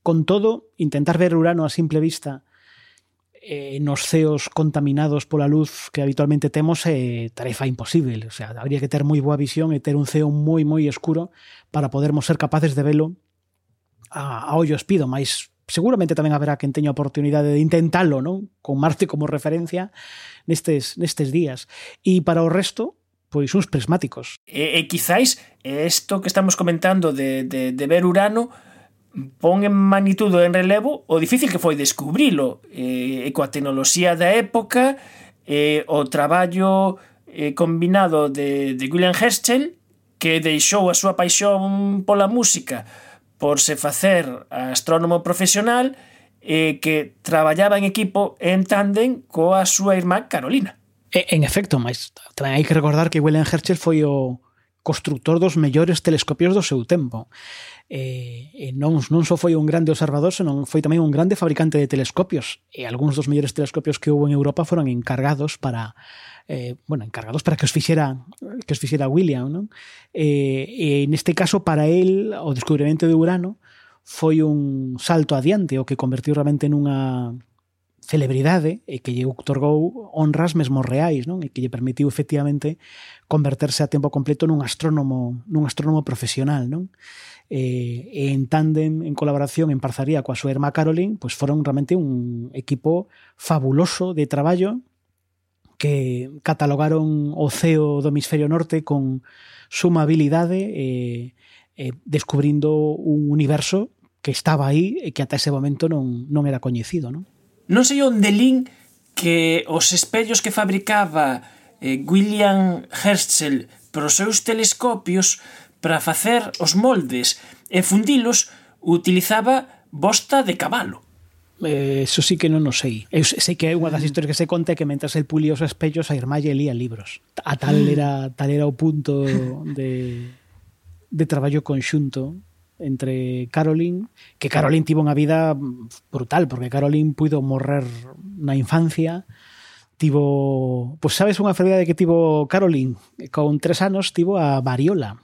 Con todo, intentar ver Urano a simple vista eh, nos ceos contaminados pola luz que habitualmente temos é tarefa imposible. O sea, habría que ter moi boa visión e ter un ceo moi moi escuro para podermos ser capaces de velo a, a ollo espido, mas seguramente tamén haberá quen teña a oportunidade de intentalo, non? Con Marte como referencia nestes, nestes días. E para o resto, pois uns prismáticos. E, e quizáis isto que estamos comentando de, de, de ver Urano pon en magnitudo en relevo o difícil que foi descubrilo, e, e coa tecnoloxía da época, e o traballo e, combinado de, de William Herschel, que deixou a súa paixón pola música por se facer astrónomo profesional, e que traballaba en equipo en tándem coa súa irmá Carolina. En efecto, mas tamén hai que recordar que William Herschel foi o constructor dos mellores telescopios do seu tempo. E, e non, non só foi un grande observador, senón foi tamén un grande fabricante de telescopios. E algúns dos mellores telescopios que houve en Europa foron encargados para eh, bueno, encargados para que os fixera que os fixera William, non? E, e neste caso, para él, o descubrimento de Urano foi un salto adiante, o que convertiu realmente nunha celebridade e que lle outorgou honras mesmo reais, non? E que lle permitiu efectivamente converterse a tempo completo nun astrónomo, nun astrónomo profesional, non? E, e en tándem, en colaboración, en parcería coa súa irmá Caroline, pois foron realmente un equipo fabuloso de traballo que catalogaron o ceo do hemisferio norte con suma habilidade e, e descubrindo un universo que estaba aí e que ata ese momento non, non era coñecido, non? Non sei onde lin que os espellos que fabricaba eh, William Herschel para os seus telescopios para facer os moldes e fundilos utilizaba bosta de cabalo. Eh, eso sí que non o sei. Eu sei que unha das historias que se conta é que mentras el pulía os espellos a irmá lle lía libros. A tal era, tal era o punto de, de traballo conxunto entre Caroline, que Caroline tivo unha vida brutal, porque Caroline puido morrer na infancia, tivo, pois sabes unha enfermedade que tivo Caroline, con tres anos tivo a variola,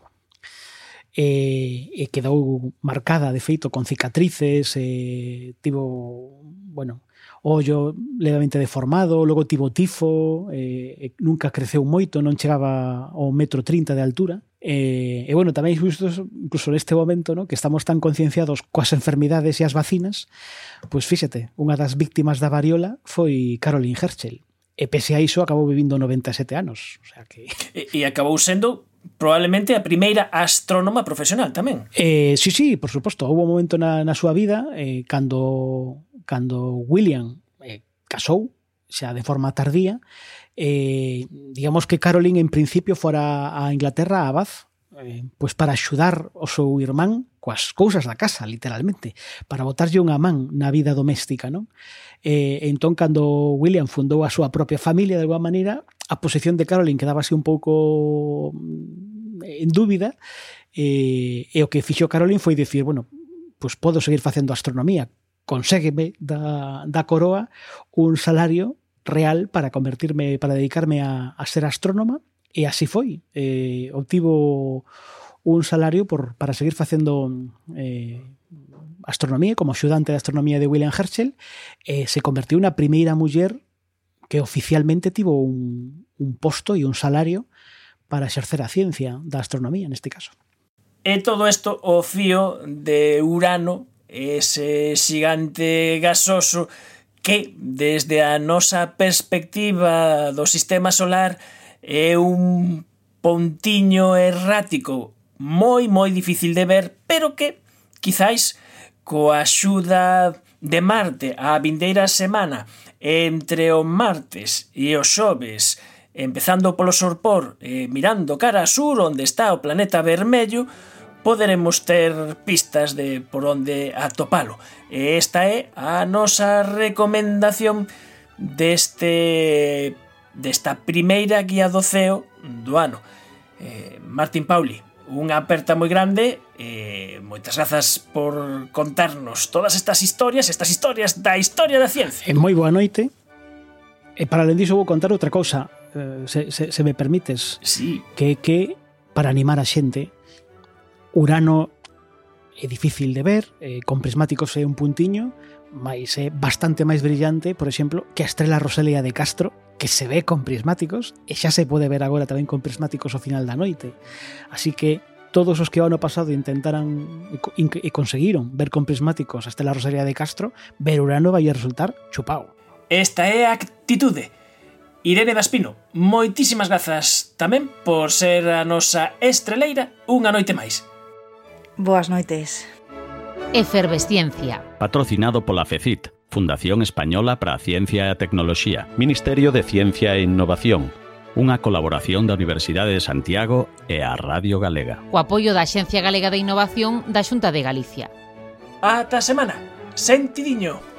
e, e quedou marcada, de feito, con cicatrices, e tivo, bueno, ollo levemente deformado, logo tivo tifo, e, e nunca creceu moito, non chegaba ao metro trinta de altura. E, e bueno, tamén justo incluso neste momento, ¿no?, que estamos tan concienciados coas enfermidades e as vacinas, pois fíxate, unha das víctimas da variola foi Caroline Herschel. E pese a iso acabou vivindo noventa e sete anos. O sea que... E, e acabou sendo probablemente a primeira astrónoma profesional tamén. Eh, sí, sí, por suposto. Houve un momento na, na súa vida eh, cando, cando William eh, casou, xa de forma tardía, eh, digamos que Caroline en principio fora a Inglaterra a Bath, eh, pois para axudar o seu irmán coas cousas da casa, literalmente, para botarlle unha man na vida doméstica, non? Eh, entón, cando William fundou a súa propia familia, de alguma maneira, a posición de Caroline quedábase un pouco en dúbida, e, e o que fixo Caroline foi dicir, bueno, pois podo seguir facendo astronomía, conségueme da, da coroa un salario real para convertirme, para dedicarme a, a ser astrónoma, e así foi. Eh, obtivo un salario por, para seguir facendo eh, astronomía, como axudante de astronomía de William Herschel, e se convertiu na primeira muller que oficialmente tivo un, un posto e un salario para exercer a ciencia da astronomía, neste caso. E todo isto o fío de Urano, ese xigante gasoso que, desde a nosa perspectiva do sistema solar, é un pontiño errático moi, moi difícil de ver, pero que, quizáis, coa axuda de Marte a vindeira semana, entre o martes e o xoves, empezando polo sorpor, eh, mirando cara a sur, onde está o planeta vermello, poderemos ter pistas de por onde atopalo. E esta é a nosa recomendación deste desta primeira guía do ceo do ano. Eh, Martín Pauli, unha aperta moi grande, e moitas grazas por contarnos todas estas historias, estas historias da historia da ciencia. E moi boa noite. E para alén diso vou contar outra cousa, eh, se, se, se me permites. Sí. Que que para animar a xente, Urano é difícil de ver, eh, con prismáticos é un puntiño, mas é bastante máis brillante, por exemplo, que a estrela Roselia de Castro, que se ve con prismáticos, e xa se pode ver agora tamén con prismáticos ao final da noite. Así que todos os que ao ano pasado intentaran e conseguiron ver con prismáticos a estrela Roselia de Castro, ver Urano vai a resultar chupao. Esta é a actitude. Irene Daspino, moitísimas grazas tamén por ser a nosa estreleira unha noite máis. Boas noites. Efervesciencia. Patrocinado pola FECIT, Fundación Española para a Ciencia e a Tecnoloxía, Ministerio de Ciencia e Innovación, unha colaboración da Universidade de Santiago e a Radio Galega. O apoio da Axencia Galega de Innovación da Xunta de Galicia. Ata a semana. Sentidiño.